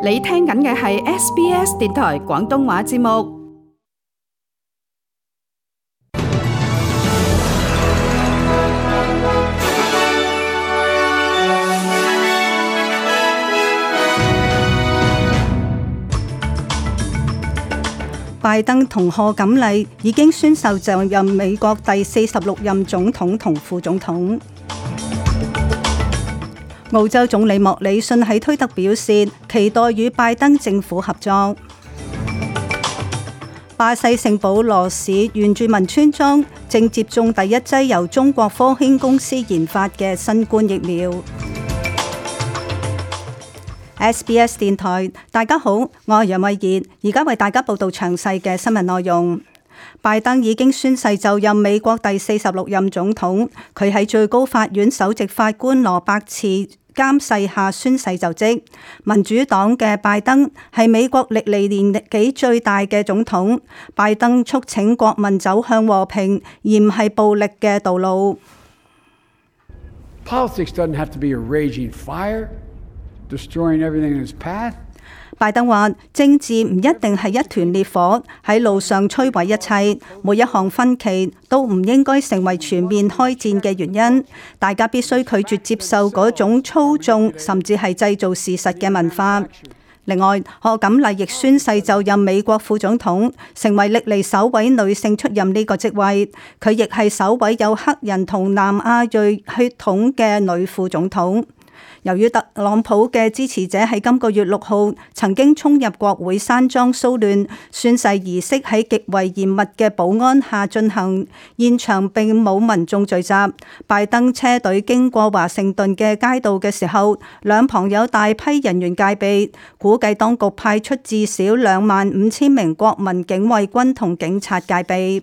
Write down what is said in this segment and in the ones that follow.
你聽緊嘅係 SBS 電台廣東話節目。拜登同賀錦麗已經宣誓就任美國第46任總統同副總統。澳洲總理莫里遜喺推特表示，期待與拜登政府合作。巴西聖保羅市原住民村莊正接種第一劑由中國科興公司研發嘅新冠疫苗。SBS 電台，大家好，我係楊慧儀，而家為大家報道詳細嘅新聞內容。拜登已經宣誓就任美國第46任總統，佢喺最高法院首席法官羅伯茨監誓下宣誓就職。民主黨嘅拜登係美國歷嚟年紀最大嘅總統。拜登促請國民走向和平，而唔係暴力嘅道路。Politics doesn't have to be a raging fire, destroying everything in its path. 拜登話：政治唔一定係一團烈火喺路上摧毀一切，每一項分歧都唔應該成為全面開戰嘅原因。大家必須拒絕接受嗰種操縱甚至係製造事實嘅文化。另外，賀錦麗亦宣誓就任美國副總統，成為歷嚟首位女性出任呢個職位。佢亦係首位有黑人同南亞裔血統嘅女副總統。由於特朗普嘅支持者喺今個月6號曾經衝入國會山莊騷亂，宣誓儀式喺極為嚴密嘅保安下進行，現場並冇民眾聚集。拜登車隊經過華盛頓嘅街道嘅時候，兩旁有大批人員戒備，估計當局派出至少25,000名國民警衛軍同警察戒備。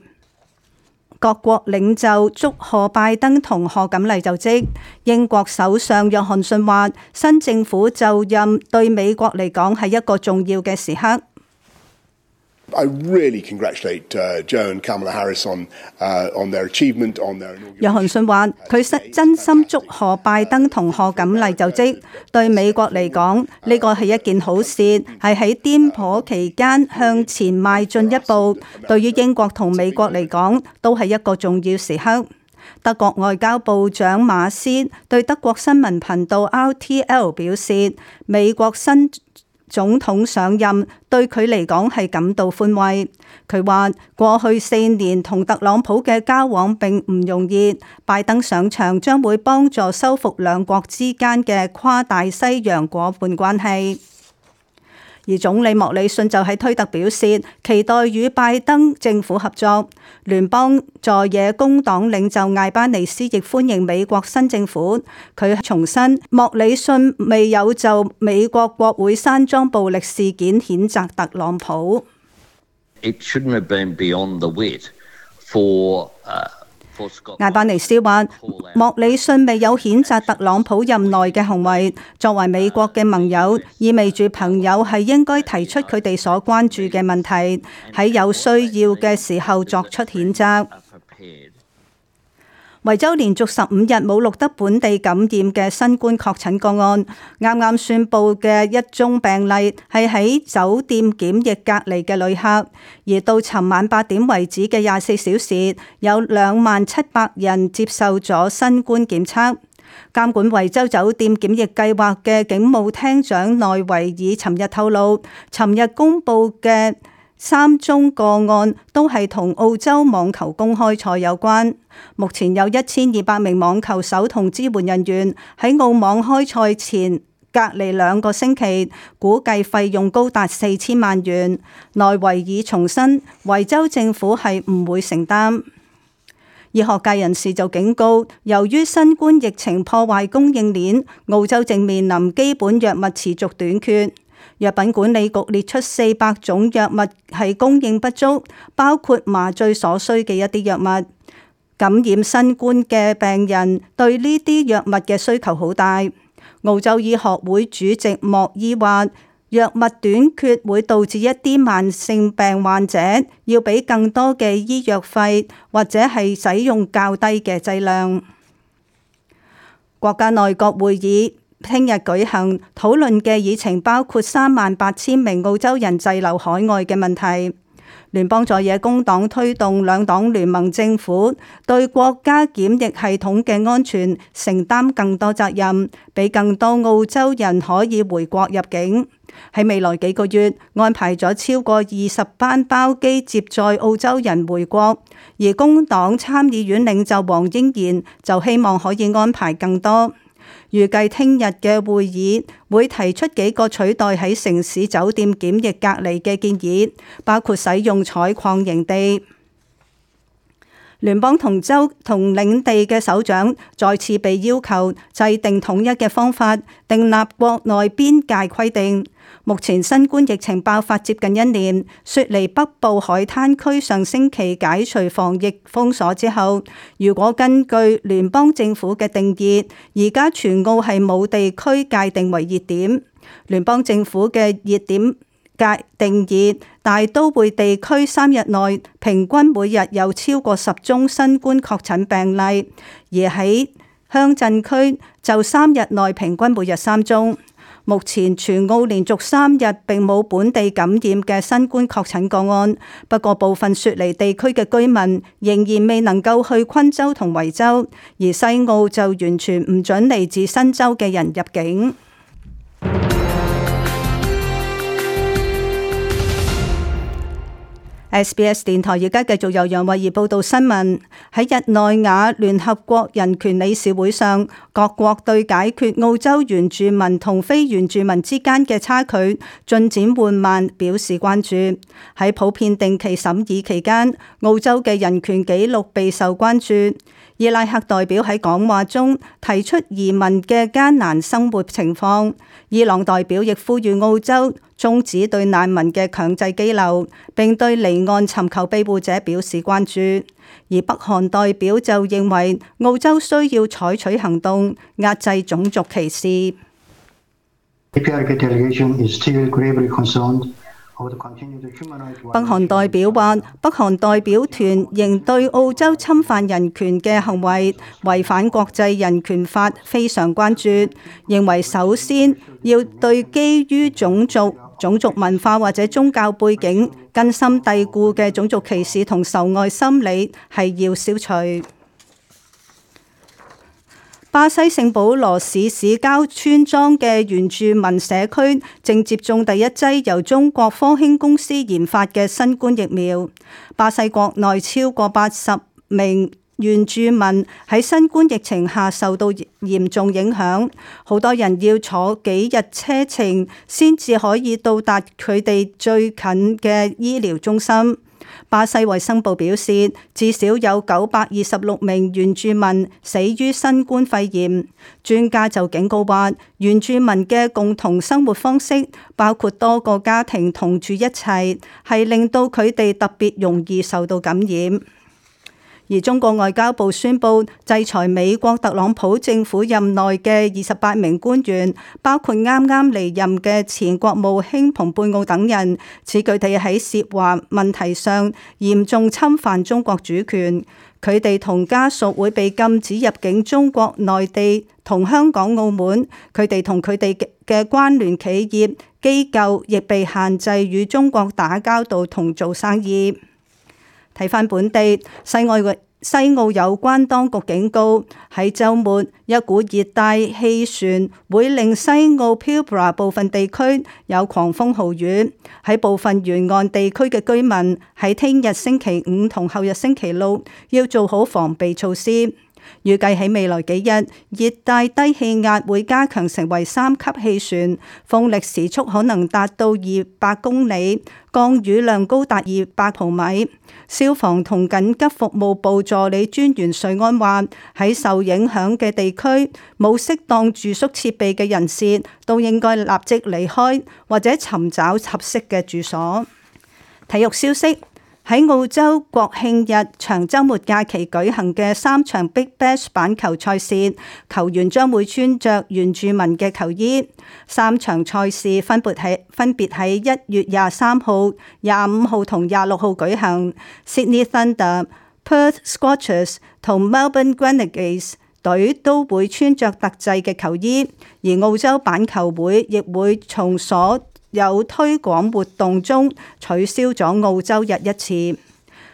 各國領袖祝賀拜登同賀錦麗就職。英國首相約翰遜話：新政府就任對美國嚟講係一個重要嘅時刻。I really congratulate Joe and Kamala Harris on their achievement on their inauguration. 約翰遜話：佢真心祝賀拜登同賀錦麗就職，對美國嚟講呢個係一件好事，係喺顛簸期間向前邁進一步。對於英國同美國嚟講，都係一個重要時刻。德國外交部長馬斯對德國新聞頻道 RTL 表示，美國新總統上任對佢嚟講係感到寬慰。佢話過去4年同特朗普嘅交往並唔容易，拜登上場將會幫助修復兩國之間嘅跨大西洋夥伴關係。而總理莫里遜就喺推特表示，期待與拜登政府合作。聯邦在野工黨領袖艾班尼斯亦歡迎美國新政府。佢重申，莫里遜未有就美國國會山莊暴力事件譴責特朗普。It shouldn't have been beyond the wit for艾班尼斯話：莫里遜未有譴責特朗普任內嘅行為，作為美國嘅盟友，意味住朋友係應該提出佢哋所關注嘅問題，喺有需要嘅時候作出譴責。維州連續15日冇錄得本地感染嘅新冠確診個案，啱啱宣布嘅一宗病例係喺酒店檢疫隔離嘅旅客，而到尋晚8點為止嘅24小時，有2700人接受咗新冠檢測。監管維州酒店檢疫計劃嘅警務廳長內維爾尋日透露，尋日公佈嘅3宗個案都係同澳洲網球公開賽有關。目前有1200名網球手同支援人員喺澳網開賽前隔離2個星期，估計費用高達4000萬元。內維爾重申，維州政府係唔會承擔。醫學界人士就警告，由於新冠疫情破壞供應鏈，澳洲正面臨基本藥物持續短缺。藥品管理局列出400種藥物係供應不足，包括麻醉所需嘅一啲藥物。感染新冠嘅病人對呢啲藥物嘅需求好大。澳洲醫學會主席莫伊話：藥物短缺會導致一啲慢性病患者要俾更多嘅醫藥費，或者係使用較低嘅劑量。國家內閣會議聽日舉行討論嘅議程包括38,000名澳洲人滯留海外嘅問題。聯邦在野工黨推動兩黨聯盟政府對國家檢疫系統嘅安全承擔更多責任，俾更多澳洲人可以回國入境。喺未來幾個月安排咗超過20班包機接載澳洲人回國，而工黨參議院領袖黃英賢就希望可以安排更多。預計聽日嘅會議會提出幾個取代喺城市酒店檢疫隔離嘅建議，包括使用採礦營地。聯邦同州同領地嘅首長再次被要求制定統一嘅方法，訂立國內邊界規定。目前新冠疫情爆發接近1年，雪梨北部海灘區上星期解除防疫封鎖之後，如果根據聯邦政府嘅定義，而家全澳係冇地區界定為熱點。聯邦政府嘅熱點界定義，大都會地區3日內平均每日有超過10宗新冠確診病例，而喺鄉鎮區就3日內平均每日3宗。目前全澳連續3日並冇本地感染嘅新冠確診個案，不過部分雪梨地區嘅居民仍然未能夠去昆州同維州，而西澳就完全唔准嚟自新州嘅人入境。SBS 電台而家繼續由楊慧儀報道新聞。喺日內瓦聯合國人權理事會上，各國對解決澳洲原住民同非原住民之間嘅差距進展緩慢表示關注。喺普遍定期審議期間，澳洲嘅人權紀錄備受關注。伊拉克代表喺講話中提出移民嘅艱難生活情況。伊朗代表亦呼籲澳洲終止對難民嘅強制羈留，並對離岸尋求庇護者表示關注。而北韓代表就認為澳洲需要採取行動，壓制種族歧視。北韓代表話，北韓代表團仍對澳洲侵犯人權嘅行為違反國際人權法非常關注，認為首先要對基於種族文化或者宗教背景根深蒂固嘅種族歧視同仇外心理係要消除。巴西聖保羅市市郊村莊嘅原住民社區正接種第一劑由中國科興公司研發嘅新冠疫苗。巴西國內超過80名原住民喺新冠疫情下受到嚴重影響，好多人要坐幾日車程先至可以到達佢哋最近嘅醫療中心。巴西衛生部表示，至少有926名原住民死於新冠肺炎。專家就警告話，原住民嘅共同生活方式，包括多個家庭同住一齊，係令到佢哋特別容易受到感染。而中國外交部宣布制裁美國特朗普政府任內嘅28名官員，包括啱啱離任嘅前國務卿蓬佩奧等人，指佢哋喺涉華問題上嚴重侵犯中國主權。佢哋同家屬會被禁止入境中國內地同香港、澳門。佢哋同佢哋嘅關聯企業機構亦被限制與中國打交道同做生意。睇返本地，西澳有關當局警告，喺週末一股熱帶氣旋會令西澳 Pilbara 部分地區有狂風豪雨，喺部分沿岸地區嘅居民喺聽日星期五同後日星期六要做好防備措施。預計喺未來幾日，熱帶低氣壓會加強成為3級氣旋，風力時速可能達到200公里，降雨量高達200毫米。消防同緊急服務部助理專員瑞安話，喺受影響嘅地區，冇適當住宿設備嘅人士都應該立即離開或者尋找合適嘅住所。體育消息。喺澳洲國慶日長週末假期舉行嘅3場 Big Bash 板球賽事，球員將會穿着原住民嘅球衣。3場賽事分別喺1月23號、25號同26號舉行。Sydney Thunder、Perth Scorchers 同 Melbourne Renegades 隊都會穿着特製嘅球衣，而澳洲板球會亦會從所有推廣活動中取消咗澳洲日一次。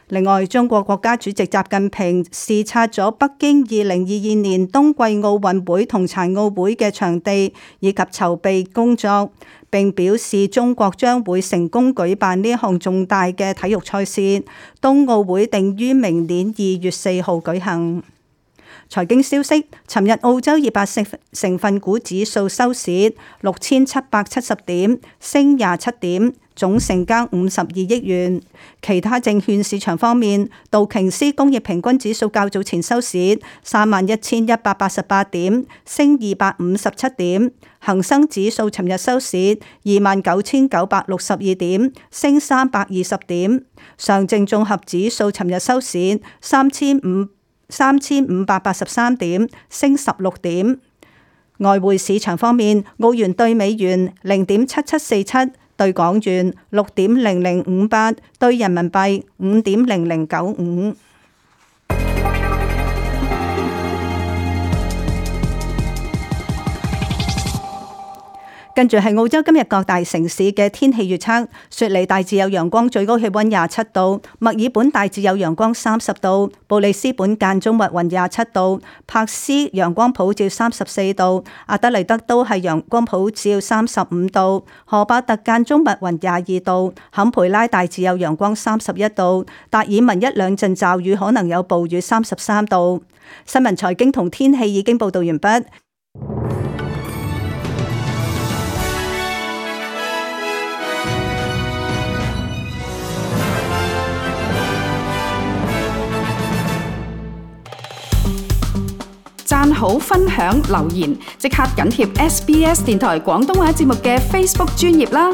另外，中國國家主席習近平視察咗北京2022年冬季奧運會同殘奧會嘅場地以及籌備工作，並表示中國將會成功舉辦呢一項重大嘅體育賽事。冬奧會定於明年2月4號舉行。財經消息，尋日澳洲200成分股指數收市6770點，升27點，總成交52億元。其他證券市場方面，道瓊斯工業平均指數較早前收市31188點，升257點。恒生指數尋日收市29962點，升320點。上證綜合指數尋日收市3583點，升16點。外匯市場方面，澳元兌美元0.7747，兌港元6.0058，兌人民幣5.0095。跟住係澳洲今日各大城市嘅天氣預測：雪梨大致有陽光，最高氣溫27度；墨爾本大致有陽光30度；布里斯本間中密雲27度；珀斯陽光普照34度；阿德萊德都係陽光普照35度；荷伯特間中密雲22度；坎培拉大致有陽光31度；達爾文一兩陣驟雨，可能有暴雨33度。新聞財經同天氣已經報道完畢。讚好、分享、留言，即刻緊貼SBS 電台廣東話節目嘅 Facebook 專頁啦！